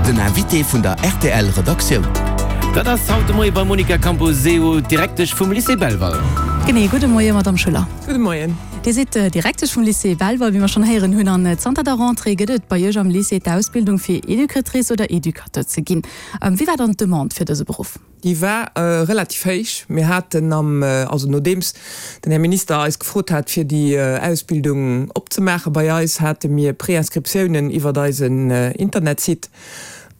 Den Invité vun der rtl Redaktioun. Dat ass haut de Moie beim Monica Camposeo, d'Direktesch vum Lycée Belval. Genee, gudde Moie Madame Schüller. Gudde Moien. Dir sidd Direktesch vum Lycée Belval, wéi mer schonn héieren hunn, an zanter der Rentrée gëtt et bei Iech am Lycée d'Ausbildung fir Educatrice oder Educateur ze ginn. Wéi war dann d'Demande fir dëse Beruff? Déi war relativ héich. Mir haten am, also nodeems den Här Minister eis gefrot hat, fir déi Ausbildung opzemaache bei eis, hate mir Préinscriptiounen iwwert eisen Internetsite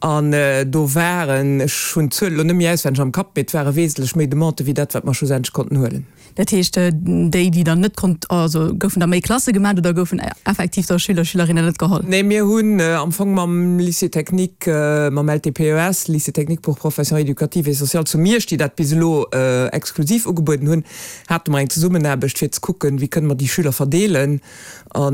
an do waren, ech hunn d'Zuel elo net méi auswenneg am Kapp, mee et ware wesentlech méi Demandë wéi dat, wat mer schlussendlech konnten huelen. Dat heescht, déi, déi dann net konnt, also goufen da méi Klasse gemaat oder goufen effektiv da Schüler, Schülerinnen net geholl? Nee, mir hunn am Fong mam Lycée technique, mam LTPES, Lycée technique pour professions éducatives et sociales zu Miersch, déi dat bis elo exklusiv ugebueden hunn, hate mer eng Zesummenaarbecht fir ze kucken, wéi kënne mer déi Schüler verdeelen. A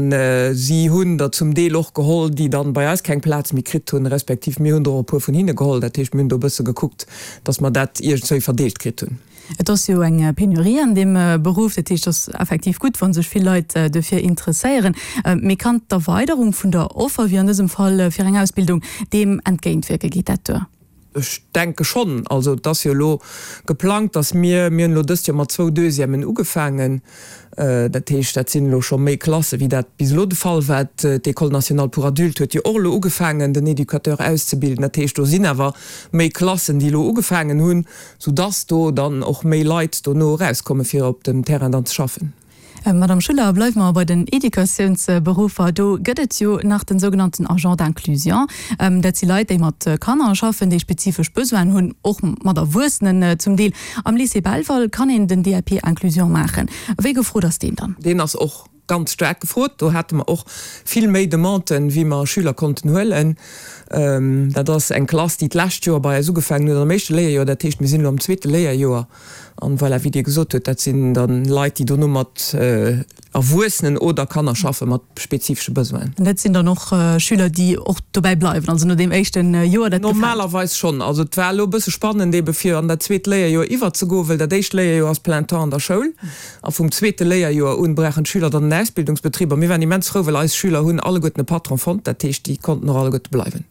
si hunn der zum Deel och geholl, déi dann bei eis keng Plaz méi kritt hunn, respektiv mir hunn der och e puer vun hinne geholl. Dat heescht, mir hunn do e bësse gekuckt, datt mer dat iergendswéi verdeelt kritt hunn. Et ass jo eng Penurie an deem Beruff, dat heescht, et ass effektiv gutt, wa sech vill Leit dofir interesséieren. Mee kann d'Erweiderung vun der Offer, wéi an dësem Fall fir eng Ausbildung, deem entgéintwierken? Geet dat duer? Ech denke schonn. Also et ass jo elo geplangt, datt mir, mir hunn elo dëst Joer mat zwou Deuxièmen ugefaangen, dat heescht, dat sinn elo scho méi Klasse wéi dat bis elo de Fall war. D'École nationale pour adultes huet jo och elo ugefaangen, den Educateur auszebilden. Dat heescht, do sinn awer méi Klassen, déi elo ugefaangen hunn. Sou dass do dann och méi Leit dono erauskommen, fir op dem Terrain dann ze schaffen. Madame Schuller, bleiwe mer bei den Educatiounsberuffer. Do gëtt et jo nach den sougenannten Agent d'inclusion. Dat si Leit, déi mat Kanner schaffen, déi spezifesch Besoinen hunn, och mat Erwuessenen zum Deel. Am Lycée Belval kann een den DAP Inclusion maachen. Wéi gefrot ass deen dann? Deen ass och Ganz staark gefrot. Do hate mer och vill méi Demanden, wéi mer Schüler konnten huelen. Dat ass eng Klass, déi d'lescht Joer bei eis ugefaangen huet, am éischte Léierjoer. Dat heescht, mir sinn elo am zweete Léierjoer. An voilà, wéi Dir gesot hutt, dat sinn da Leit, déi dono mat Erwuessenen oder Kanner schaffe mat spezifesche Besoinen. An dat sinn dann och Schüler, déi och dobäi bleiwen, also no deem éischte Joer, dat gefält? Normalerweis schonn. Also et war elo e bësse spannend eebe fir an dat zweet Léierjoer iwwerzegoen, well dat éischt Léierjoer ass plein temps an der Schoul. A vum zweete Léierjoer un brauchen d'Schüler dann en Ausbildungsbetrib. A mir waren immens frou, well eis Schüler hunn alleguerten e Patron fonnt. Dat heescht, déi konnten och alleguerte bleiwen.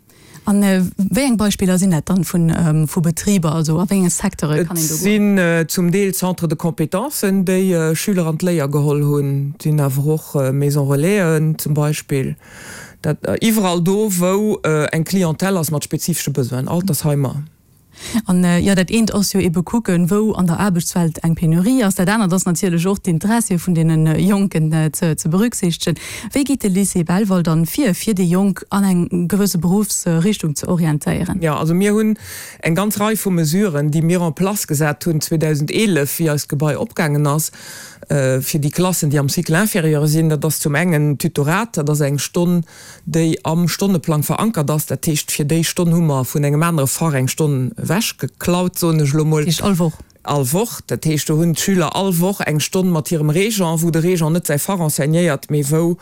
A wéi eng Beispiller sinn dat dann vu Betriber? Also a wéi enge Secteure kann een do goen? Et sinn zum Deel Centres de compétences, déi Schüler an d'Léier geholl hunn. Et sinn awer och Maisons relaisen zum Beispill. Dat iwwerall do, wou eng Clientèle ass mat spezifesche Besoinen, Altersheimer. An jo, dat eent ass jo ebe kucken, wou an der Aarbechtswelt eng Penurie ass. Dat anert ass natierlech och d'Interessie vun deene Jonken ze berücksichtegen. Wéi geet de Lycée Belval dann vir, fir déi Jonk an eng gewësse Beruffsrichtung ze orientéieren? Jo, also mir hunn eng ganz Rei vu Mesuren, déi mir en place gesat hunn 2011, wéi eist Gebai opgaangen ass, fir déi Klassen, déi am Cycle inférieur sinn. Dat ass zum engen d'Tutorat, dat ass eng Stonn, déi am Stonneplang verankert ass. Dat heescht, fir déi Stonn hu mer vun engem anere Fach eng Stonn ewechgeklaut, soen ech elo mol. Dat heescht all Woch? All Woch. Dat heescht, do hunn d'Schüler all Woch eng Stonn mat hirem Régent, wou de Régent net säi Fach enseignéiert, mee wou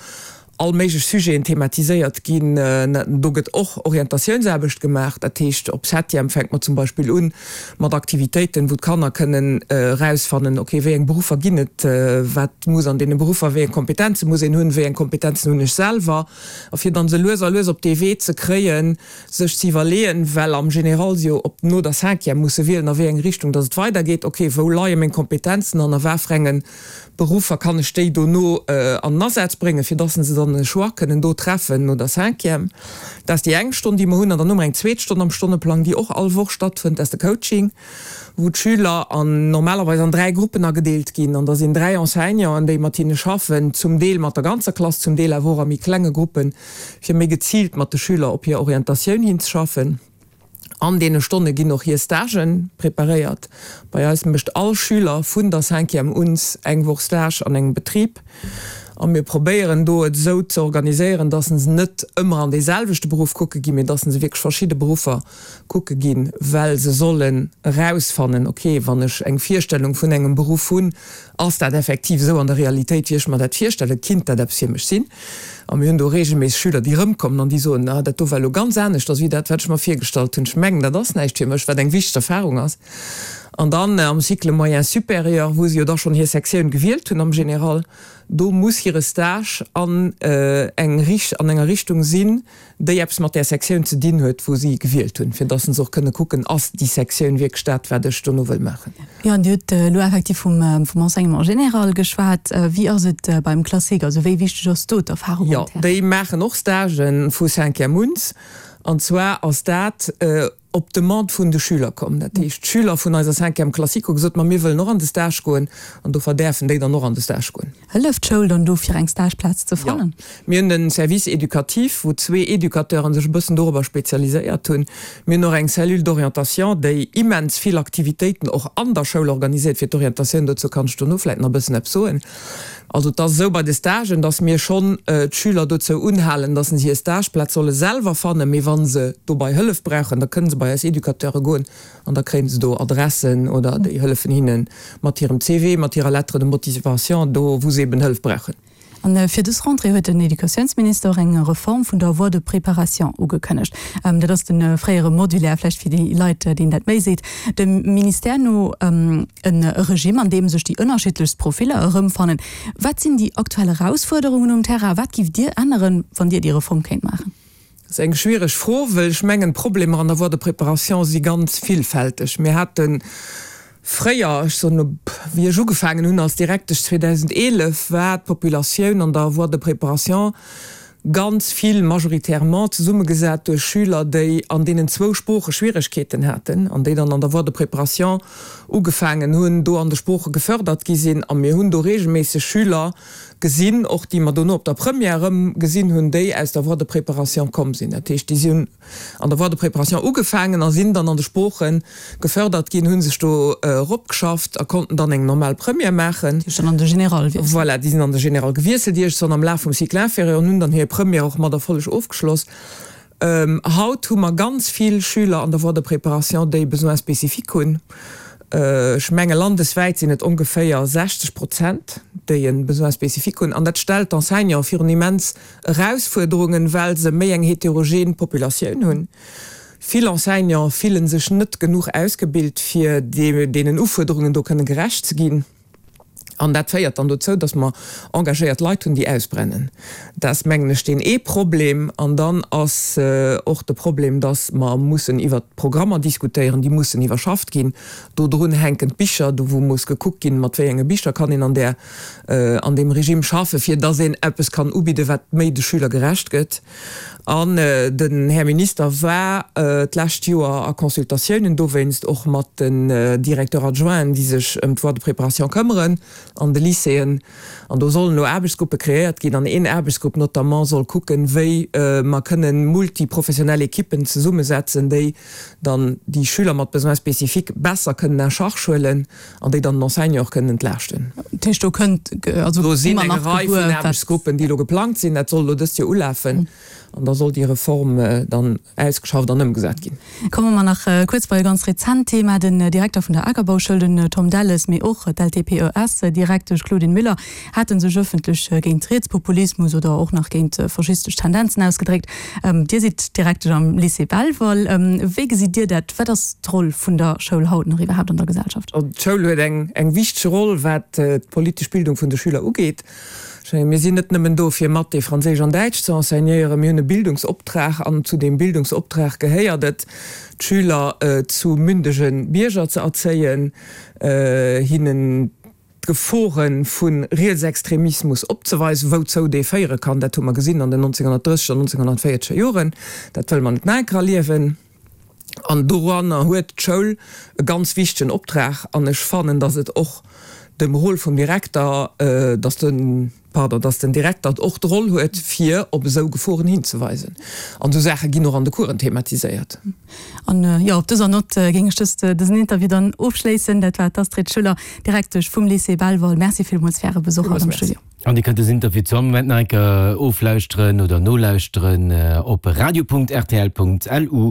all méiglech Sujeten thematiséiert ginn. Do gëtt och Orientatiounsaarbecht gemaach. Dat heescht, op Septième fänkt mer zum Beispill un mat Aktivitéiten, wou d'Kanner kënnen erausfannen, ok, wéi eng Beruffer ginn et, wat muss an deene Beruffer, wéi eng Kompetenze muss een hunn, wéi eng Kompetenzen hunn ech selwer, a fir dann se lues a lues op dee Wee ze kréien, sech ze iwwerleeën, well am Général se jo op no der Cinquième musse wielen, a wéi eng Richtung dass et weidergeet, ok, wou leie meng Kompetenzen an a wat fir enge Beruffer kann ech déi dono an den Asaz bréngen, fir dass se dann e Choix kënnen do treffen no der Cinquième. Dat ass déi eng Stonn, déi mer hunn. An dann hu mer eng zweet Stonn am Stonneplang, déi och all Woch stattfënnt, dat ass de Coaching, wou d'Schüler an normalerweis an 3 Gruppen agedeelt ginn. An da sinn 3 Enseignanten, déi mat hinne schaffen, zum Deel mat der ganzer Klass, zum Deel awer och a méi klenge Gruppen, fir méi geziilt mat de Schüler op hir Orientatioun hinzeschaffen. An deene Stonne ginn och hir Stagen preparéiert. Bei eis mécht all Schüler vun der Cinquième uns eng Woch Stage an engem Betrib. A mir probéieren do et esou ze organiséieren, dass se net ëmmer an dee selwechte Beruff kucke ginn, mee dass se wierklech verschidde Beruffer kucke ginn, well se sollen erausfannen, ok, wann ech eng Virstellung vun engem Beruff hunn, ass dat effektiv esou an der Realitéit, wéi ech mer dat virstellen, kinnt dat eppes fir mech sinn? A mir hunn do reegelméisseg Schüler, déi erëmkommen an déi soen, Ah, dat do war elo ganz aneschters wéi dat, wat ech mer virgestallt hunn. Ech mengen, dat ass näischt fir mech, wat eng wichteg Erfarung ass. An dann am Cycle moyen supérieur, wou se jo da schonn hir Sektioun gewielt hunn am Général, do muss hire Stage an eng an enger Richtung sinn, déi eppes mat där Sektioun ze dinn huet, wou si gewielt hunn, fir dass se och kënne kucken, ass déi Sektioun wierklech dat, wat ech dono wëll maachen. Jo, an Dir hutt elo effektiv vum vum Enseignement général geschwat. Wéi ass et beim Classique? Also wéi wichteg ass do d'Erfahrung um Terrain? Jo, déi maachen och Stagen vu Cinquième uns. An zwar ass dat op d'Demande vun de Schüler komm. Dat heescht, d'Schüler vun eiser Cinquième classique hu gesot, ma mir wëllen och an de Stage goen. An dofir däerfen déi dann och an de Stage goen. Hëlleft d'Schoul dann do fir eng Stageplaz ze fannen? Jo, mir hunn en Service éducatif, wou zwee Educateuren sech e bëssen dorobber spezialiséiert hunn. Mir hunn och eng Cellule d'orientation, déi immens vill Aktivitéiten och an der Schoul organiséiert fir d'Orientatioun. Dozou kann ech dono vläit nach e bëssen eppes soen. Also et ass esou bei de Stagen, dass mir schonn d'Schüler dozou unhalen, dass se hir Stageplaz solle selwer fannen, mee wa se dobei Hëllef brauchen, da kënne se bei eis Educateure goen An da kréien se do Adressen oder déi hëllefen hinne mat hirem CV, mat hirer Lettre de motivation, do wou se eben Hëllef brauchen. An fir dës Rentrée huet den Educatiounsminister och eng Reform vun der Voie de préparation ugekënnegt. Dat ass de fréiere Modulaire, vläicht fir déi Leit, deenen dat méi seet. Dem Ministère no e Regime, an deem sech déi ënnerschiddlechst Profiller erëmfannen. Wat sinn déi aktuell Erausfuerderungen um Terrain? Wat giff Dir änneren, wann Dir déi Reform kéint maachen? Dat ass eng schwiereg Fro, well ech mengen, d'Problemer an der Voie de préparation si ganz villfälteg. Mir hate fréier, ech soen elo, wéi ech ugefaangen hunn als Direktesch 2011, war d'Populatioun an der Voie de préparation ganz vill, majoritairement zesummegesat duerch Schüler, déi an deenen zwou Sprooche Schwieregkeeten haten an déi dann an der Voie de préparation ugefaangen hunn, do an de Sprooche gefördert gi sinn. A mir hunn do regelméisseg Schüler, gesinn, och déi mer dono op der Première erëm gesinn hunn, déi aus der Voie de préparation komm sinn. Dat heescht, déi si hunn an der Voie de préparation ugefaangen a sinn dann an de Sprooche gefördert ginn, hu sech do eropgeschafft a konnten dann eng normal Première maachen. Déi sinn an de Général gewiesselt. Voilà, déi sinn an de Général gewiesselt iergendwann am Laf vum Cycle inférieur an hunn dann hir Première och mat Erfolleg ofgeschloss. Haut hu mer ganz vill Schüler an der Voie de préparation, déi Besoins spécifiques hunn. Ech menge landeswäit sinn et ongeféier 60 Prozent, déi e Besoin spécifique hunn. An dat stellt d'Enseignante virun immens Erausfuerderungen, well se méi eng heterogen Populatioun hunn. Vill Enseignante fille sech net genuch ausgebilt, fir deenen Ufuerderungen do kënne gerecht ze ginn. An dat féiert dann dozou, dass mer engagéiert Leit hunn, déi ausbrennen. Dat ass, mengen ech, deen ee Problem. An dann ass och de Problem, dass mer mussen iwwert d'Programmer diskutéieren, déi mussen iwwerschafft ginn. Do drun hänken d'Bicher, do wou muss gekuckt ginn, mat wéi enge Bicher kann een an där, an deem Regime schaffen, fir dass een eppes kann ubidden, wat méi de Schüler gerecht gëtt. An den Här Minister war d'lescht Joer a Consultatiounen dowéinst och mat den Directeurs adjoints, déi sech ëm d'Voie de préparation këmmeren an de Lycéeën. An do sollen elo Aarbechtsgruppe kreéiert ginn. An een Aarbechtsgrupp notamment soll kucken, wéi mer kënnen multiprofessionell Ekippen zesummesetzen, déi dann déi Schüler mat Besoins spécifiques besser kënnen en charge huelen an déi dann den Enseignant och kënnen entlaaschten. Dat heescht, do kënnt, also Do sinn eng Rei vun Aarbechtsgruppen, déi elo geplangt sinn. Dat soll elo dëst Joer ulafen an da soll déi Reform dann ausgeschafft an ëmgesat ginn. Komme mer nach kuerz bei e ganz rezent Thema. Den Direkter vun der Akerbauschoul, den Tom Delles, mee och d'LTPES-Direktesch Claudine Müller hate sech ëffentlech géint Rietspopulismus oder och nach géint faschistesch Tendenzen ausgedréckt. Dir sidd Direktesch am Lycée Belval. Wéi gesitt Dir dat? Wat ass d'Roll vun der Schoul haut nach iwwerhaapt an der Gesellschaft? D'Schoul huet eng wichteg Roll, wat d'politesch Bildung vun de Schüler ugeet. Ech mengen, mir sinn net nëmmen do, fir Mathé, Franséisch an Däitsch ze enseignéieren. Mir hunn e Bildungsoptrag an zu deem Bildungsoptrag gehéiert et, d'Schüler zu mündege Bierger ze erzéien, hinnen d'Gefore vu Rietsextremismus opzeweisen, wouzou dee féiere kann, dat hu mer gesinn an den 1930 er an 1940 er Joren, dat wëlle mer net nach eng Kéier erliewen. An doranner huet d'Schoul e ganz wichtegen Optrag. An ech fannen, datt et och dem Rôle vum Direkter, datt de, pardon, datt den Direkter och d'Roll huet, fir op esou Geforen hinzeweisen. An esou Saache ginn och an de Coursen thematiséiert. An jo, op dëser Nott géing ech dëst, dësen Interview dann ofschléissen. Dat war d'Astrid Schuller, Direktesch vum Lycée Belval. Merci villmools fir Äre Besuch haut am Studio. An Dir kënnt dësen Interview zu all Moment nach eng Kéier oflauschteren oder nolauschteren op radio.rtl.lu.